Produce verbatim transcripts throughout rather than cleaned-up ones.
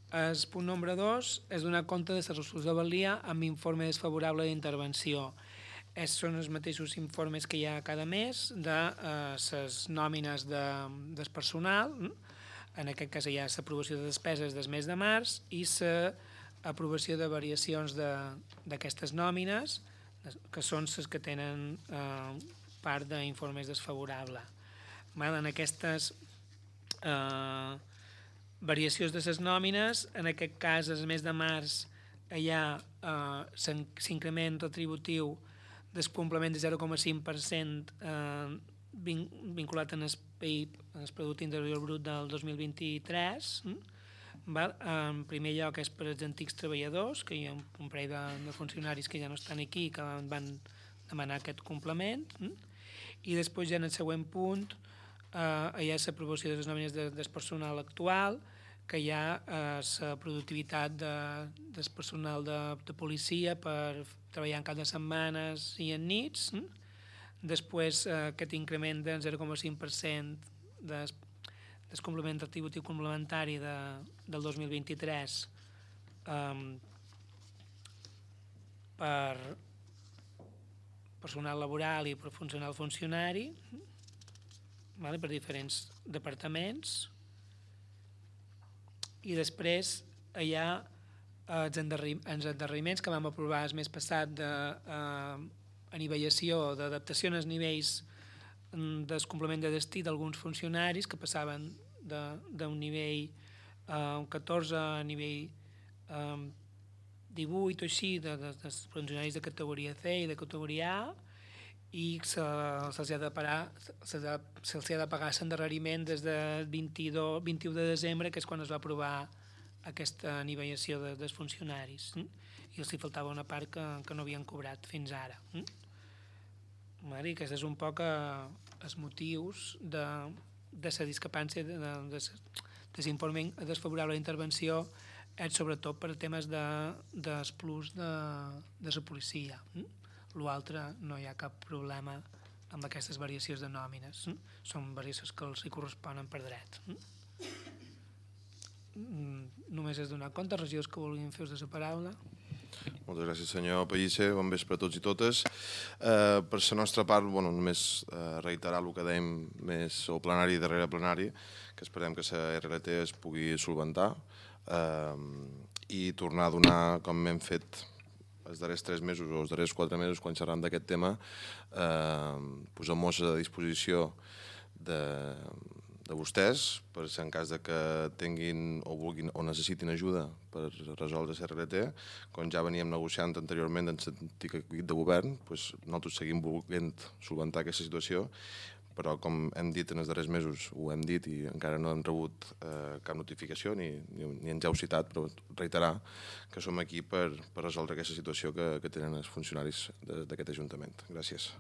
El punt número dos és donar compte de la resolució de valia amb informe desfavorable d'intervenció. Es són els mateixos informes que hi ha cada mes de les eh, nòmines de, del personal. En aquest cas hi ha l'aprovació de despeses del mes de març i l'aprovació de variacions d'aquestes nòmines, que són les que tenen eh, part d'informes desfavorables. En aquestes eh, variacions de les nòmines, en aquest cas, el mes de març, hi ha eh, l'increment retributiu del complement de zero coma cinc per cent eh, vinculat en el P I B, en el Producte Interior Brut del dos mil vint-i-tres. Val? En primer lloc és per als antics treballadors, que hi ha un parell de, de funcionaris que ja no estan aquí i que van demanar aquest complement. I després ja en el següent punt eh, hi ha l'aprovació de les nòmines de, del personal actual, que hi ha eh, la productivitat de, del personal de, de policia per treballar en cap de setmanes i en nits. Després eh, aquest increment del zero coma cinc per cent del, del complement retributiu complementari de, del dos mil vint-i-tres eh, per personal laboral i per funcional funcionari, vale, per diferents departaments. I després hi ha els endarreriments que vam aprovar el mes passat d'anivellació, eh, d'adaptació als nivells del complement de destí d'alguns funcionaris que passaven d'un nivell eh, catorze a nivell eh, divuit o així de, de, de funcionaris de categoria C i de categoria A, i se'ls se, se ha de pagar se'ls ha, se ha de pagar l'endarreriment des del vint-i-dos, vint-i-u de desembre, que és quan es va aprovar aquesta anivellació de, dels funcionaris, hm? I els hi faltava una part que, que no havien cobrat fins ara. Hm? I aquests és un poc eh, els motius de, de la discrepància de, de, de, de l'informe desfavorable d'intervenció, és sobretot per temes de, dels plus de, de la policia. Hm? L'altre no hi ha cap problema amb aquestes variacions de nòmines. Mm? Són variacions que els hi corresponen per dret. Mm? Només és donar compte, regidors que vulguin fer ús de la paraula. Moltes gràcies, senyor Pellicer. Bon vespre a tots i totes. Eh, per la nostra part, bueno, només eh, reiterar el que dèiem més o plenari darrere plenari, que esperem que la R L T es pugui solventar eh, i tornar a donar, com hem fet els darrers tres mesos o els darrers quatre mesos quan xerram d'aquest tema, eh, posem-nos a disposició de, de vostès per si en cas de que tinguin o vulguin o necessitin ajuda per resoldre la R L T. Com ja veníem negociant anteriorment en l'antic equip de govern, doncs nosaltres seguim volent solventar aquesta situació, però com hem dit en els darrers mesos, ho hem dit i encara no hem rebut eh, cap notificació ni, ni, ni ens heu citat, però reiterar que som aquí per, per resoldre aquesta situació que, que tenen els funcionaris d'aquest Ajuntament. Gràcies.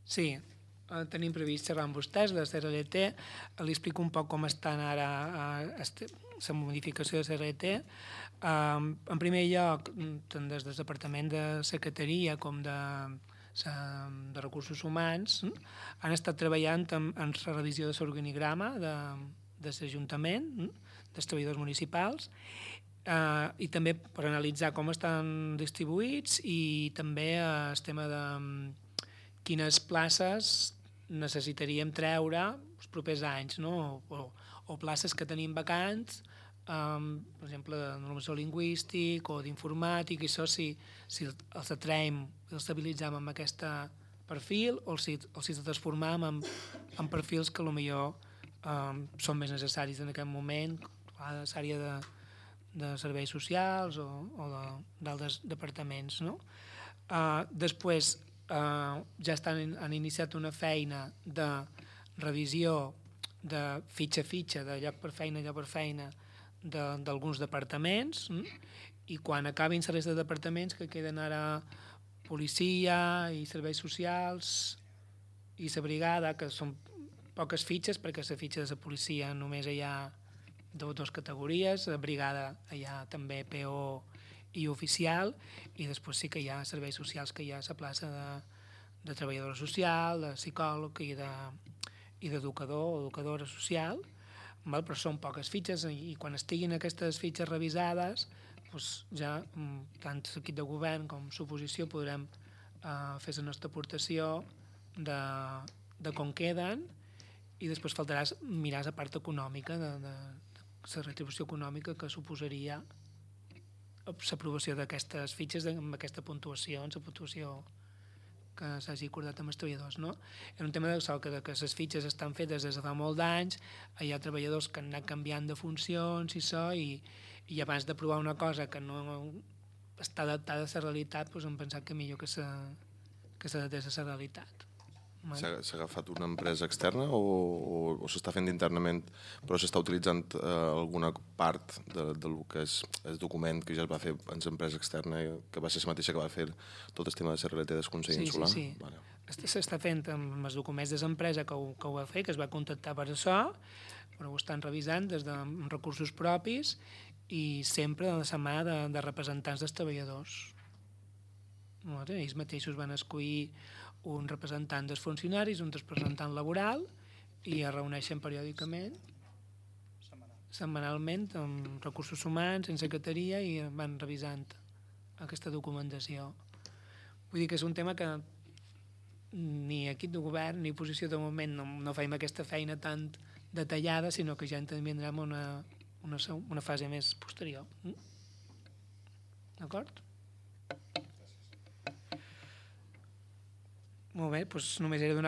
Sí, eh, tenim previst xerrar amb vostès de la R L T. Li explico un poc com estan ara eh, la modificació de la R L T. Eh, en primer lloc, tant des del Departament de Secretaria com de de recursos humans han estat treballant en, en la revisió de l'organigrama de, de l'Ajuntament, dels treballadors municipals, eh, i també per analitzar com estan distribuïts i també eh, el tema de quines places necessitaríem treure els propers anys, no? o, o places que tenim vacants, Um, per exemple, de normació lingüístic o d'informàtic, i això si, si els atraiem, els estabilitzem amb aquest perfil o si, o si els transformem en, en perfils que potser um, són més necessaris en aquest moment, a l'àrea de, de serveis socials o, o d'altres departaments. No? Uh, després, uh, ja estan, han iniciat una feina de revisió de fitxa a fitxa, de lloc per feina, lloc per feina, d'alguns de, departaments, i quan acabin la resta de departaments que queden ara policia i serveis socials i la brigada, que són poques fitxes, perquè la fitxa de la policia només hi ha dues categories, la brigada hi ha també P O i oficial, i després sí que hi ha serveis socials, que hi ha la plaça de, de treballadora social, de psicòleg i de, i d'educador o educadora social. val? Però són poques fitxes i quan estiguin aquestes fitxes revisades doncs ja tant l'equip de govern com l'oposició podrem eh, fer la nostra aportació de, de com queden i després faltarà mirar la part econòmica de, de, de la retribució econòmica que suposaria l'aprovació d'aquestes fitxes amb aquesta puntuació, amb la puntuació que s'hagi acordat amb els treballadors. No? És un tema de sol, que, que les fitxes estan fetes des de fa molt d'anys, hi ha treballadors que han anat canviant de funcions i això, i, i abans d'aprovar una cosa que no està adaptada a la realitat, doncs hem pensat que millor que s'adaptés a la realitat. S'ha agafat una empresa externa o, o, o s'està fent internament, però s'està utilitzant eh, alguna part de, de lo que és el document que ja es va fer en l'empresa externa, que va ser la mateixa que va fer tot el tema de la R L T del Consell sí, Insular? Sí, sí. Vale. S'està fent amb els documents de l'empresa que, ho, que ho va fer, que es va contactar per això, però ho estan revisant des de recursos propis i sempre de la mà de, de representants dels treballadors. Ells mateixos van escollir un representant dels funcionaris, un representant laboral i es reuneixen periòdicament, setmanalment, amb recursos humans, en secretaria i van revisant aquesta documentació. Vull dir que és un tema que ni equip de govern ni posició de moment no, no fem aquesta feina tan detallada, sinó que ja intervindrem una, una, una fase més posterior. D'acord? Molt bé, doncs només era donar